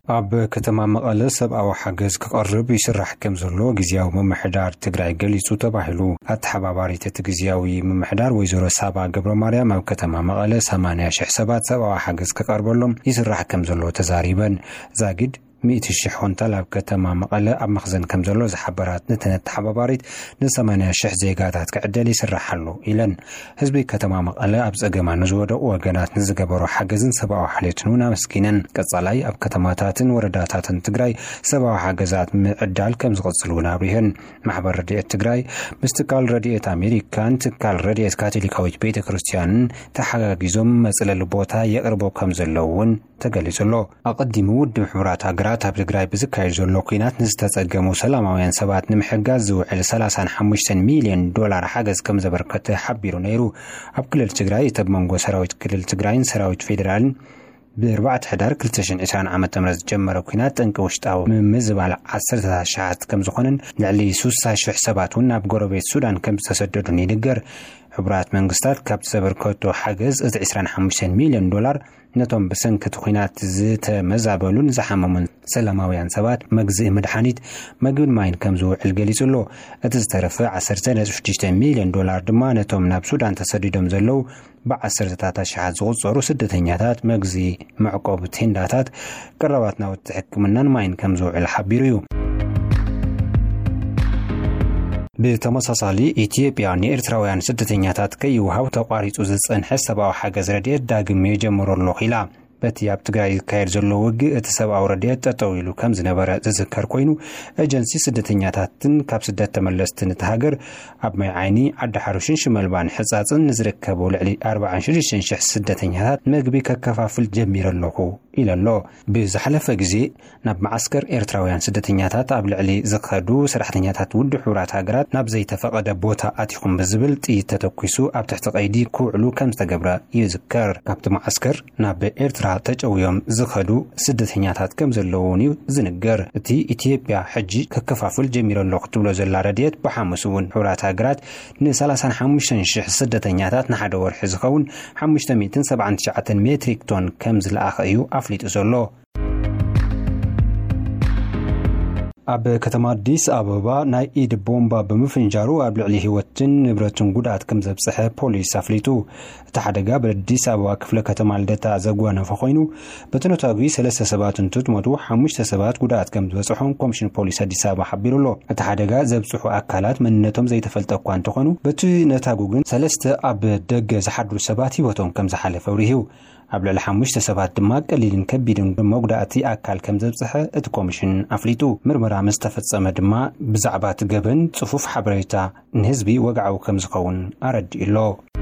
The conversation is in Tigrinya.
ኣብ ከተማ መቐለ ሰብኣዊ ሓገዝ ክቐርብ ይስራሕ ከም ዘሎ ግዝያዊ ምምሕዳር ትግራይ ገሊጹ ተባሂሉ። ኣተሓባባሪት እቲ ግዝያዊ ምምሕዳር ወይዘሮ ሳባ ገብረ ማርያም ኣብ ከተማ መቐለ ሰማንያ ሽሕ ሰባት ሰብኣዊ ሓገዝ ክቐርበሎም ይስራሕ ከም ዘሎ ተዛሪበን። ዛጊድ ሚእቲ ሽሕ ኩንታል ኣብ ከተማ መቐለ ኣብ መኽዘን ከም ዘሎ ዝሓበራት ነተን ኣተሓባባሪት፣ ን ሰማንያ ሽሕ ዜጋታት ክዕደል ይስራሕ ኣሎ ኢለን። ህዝቢ ከተማ መቐለ ኣብ ጸገማ ንዝወደቑ ወገናት ንዝገበሮ ሓገዝን ሰብኣዊ ሓልዮትን እውን ኣመስጊነን። ቀጻላይ ኣብ ከተማታትን ወረዳታትን ትግራይ ሰብኣዊ ሓገዛት ምዕዳል ከም ዝቕጽል እውን ኣብሪሀን። ማሕበር ረድኤት ትግራይ ምስ ትካል ረድኤት ኣሜሪካን ትካል ረድኤት ካቶሊካዊት ቤተ ክርስቲያንን ተሓጋጊዞም መጽለሊ ቦታ የቕርቦ ከም ዘለዉ እውን ተገሊጹ ኣሎ። ኣቐዲሙ ውድብ ሕቡራት ሃገራት ኣብ ትግራይ ብዝካየድ ዘሎ ኲናት ንዝተጸገሙ ሰላማውያን ሰባት ንምሕጋዝ ዝውዕል ሰላሳን ሓሙሽተን ሚልዮን ዶላር ሓገዝ ከም ዘበርከተ ሓቢሩ ነይሩ። ኣብ ክልል ትግራይ እቲ ኣብ መንጎ ሰራዊት ክልል ትግራይን ሰራዊት ፌዴራልን ብ ኣርባዕተ ሕዳር ክልተ ሽሕን ዕስራን ዓመተ ምህረት ዝጀመረ ኲናት ጠንቂ ውሽጣዊ ምምዝባል ዓሰርተታት ሽሓት ከም ዝኾነን ልዕሊ ስሳ ሽሕ ሰባት እውን ናብ ጎረቤት ሱዳን ከም ዝተሰደዱን ይንገር። ሕቡራት መንግስታት ካብቲ ዘበርከቶ ሓገዝ እቲ ዕስራን ሓሙሽተን ሚልዮን ዶላር ነቶም ብሰንኪ እቲ ኲናት ዝተመዛበሉን ዝሓመሙን ሰላማውያን ሰባት መግዝኢ መድሓኒት፣ መግብን ማይን ከም ዝውዕል ገሊጹ ኣሎ። እቲ ዝተረፈ ዓሰርተ ነጥቢ ሽዱሽተ ሚልዮን ዶላር ድማ ነቶም ናብ ሱዳን ተሰዲዶም ዘለዉ ብዓሰርተታት ኣሽሓት ዝቑጸሩ ስደተኛታት መግዝኢ፣ መዕቆቢ ቴንዳታት፣ ቀረባት ናውቲ ሕክምናን ማይን ከም ዝውዕል ሓቢሩ እዩ። ብተመሳሳሊ ኢትዮጵያ ንኤርትራውያን ስደተኛታት ከይወሃብ ተቋሪጹ ዝጸንሐ ሰብኣዊ ሓገዝ ረድኤት ዳግም የጀምሮ ኣለኹ ኢላ። በቲ ኣብ ትግራይ ዝካየድ ዘሎ ውግእ እቲ ሰብኣዊ ረድኤት ጠጠው ኢሉ ከም ዝነበረ ዝዝከር ኮይኑ፣ ኤጀንሲ ስደተኛታትን ካብ ስደት ተመለስትን እቲ ሃገር ኣብ ማይ ዓይኒ፣ ዓዲ ሓሩሽን ሽመልባን ሕጻጽን ንዝርከቡ ልዕሊ ኣርባዓን ሽዱሽተን ሽሕ ስደተኛታት መግቢ ከከፋፍል ጀሚረ ኣለኹ ኢለ ኣሎ። ብዝሓለፈ ግዜ ናብ መዓስከር ኤርትራውያን ስደተኛታት ኣብ ልዕሊ ዝኸዱ ሰራሕተኛታት ውድብ ሕቡራት ሃገራት ናብ ዘይተፈቐደ ቦታ ኣቲኹም ብዝብል ጥይት ተተኲሱ ኣብ ትሕቲ ቀይዲ ክውዕሉ ከም ዝተገብረ ይዝከር። ካብቲ መዓስከር ናብ ኤርትራ ተጨውዮም ዝኸዱ ስደተኛታት ከም ዘለዉ እውን እዩ ዝንገር። እቲ ኢትዮጵያ ሕጂ ከከፋፍል ጀሚረ ኣለኹ ትብሎ ዘላ ረድኤት ብሓሙስ እውን ሕቡራት ሃገራት ን ሰላሳን ሓሙሽተን ሽሕ ስደተኛታት ንሓደ ወርሒ ዝኸውን ሓሙሽተ ሚእትን ሰብዓን ትሽዓተን ሜትሪክ ቶን ከም ዝለኣኸ እዩ ኣፍሊጡ ዘሎ። ኣብ ከተማ ኣዲስ ኣበባ ናይ ኢድ ቦምባ ብምፍንጃሩ ኣብ ልዕሊ ህይወትን ንብረትን ጉድኣት ከም ዘብጽሐ ፖሊስ ኣፍሊጡ። እቲ ሓደጋ ብኣዲስ ኣበባ ክፍለ ከተማ ልደታ ዘጓነፈ ኮይኑ፣ በቲ ነታጒ ሰለስተ ሰባት እንትትሞቱ፣ ሓሙሽተ ሰባት ጉድኣት ከም ዝበጽሖም ኮሚሽን ፖሊስ ኣዲስ ኣበባ ሓቢሩ ኣሎ። እቲ ሓደጋ ዘብጽሑ ኣካላት መንነቶም ዘይተፈልጠ እኳ እንተኾኑ፣ በቲ ነታጒ ግን ሰለስተ ኣብ ደገ ዝሓድሩ ሰባት ህይወቶም ከም ዝሓለፈ ኣብሪሁ። ኣብ ልዕሊ ሓሙሽተ ሰባት ድማ ቀሊልን ከቢድን መጉዳእቲ ኣካል ከም ዘብጽሐ እቲ ኮሚሽን ኣፍሊጡ። ምርመራ ምስ ተፈጸመ ድማ ብዛዕባ እቲ ገበን ጽፉፍ ሓበሬታ ንህዝቢ ወግዓዊ ከም ዝኸውን ኣረዲኡ ኣሎ።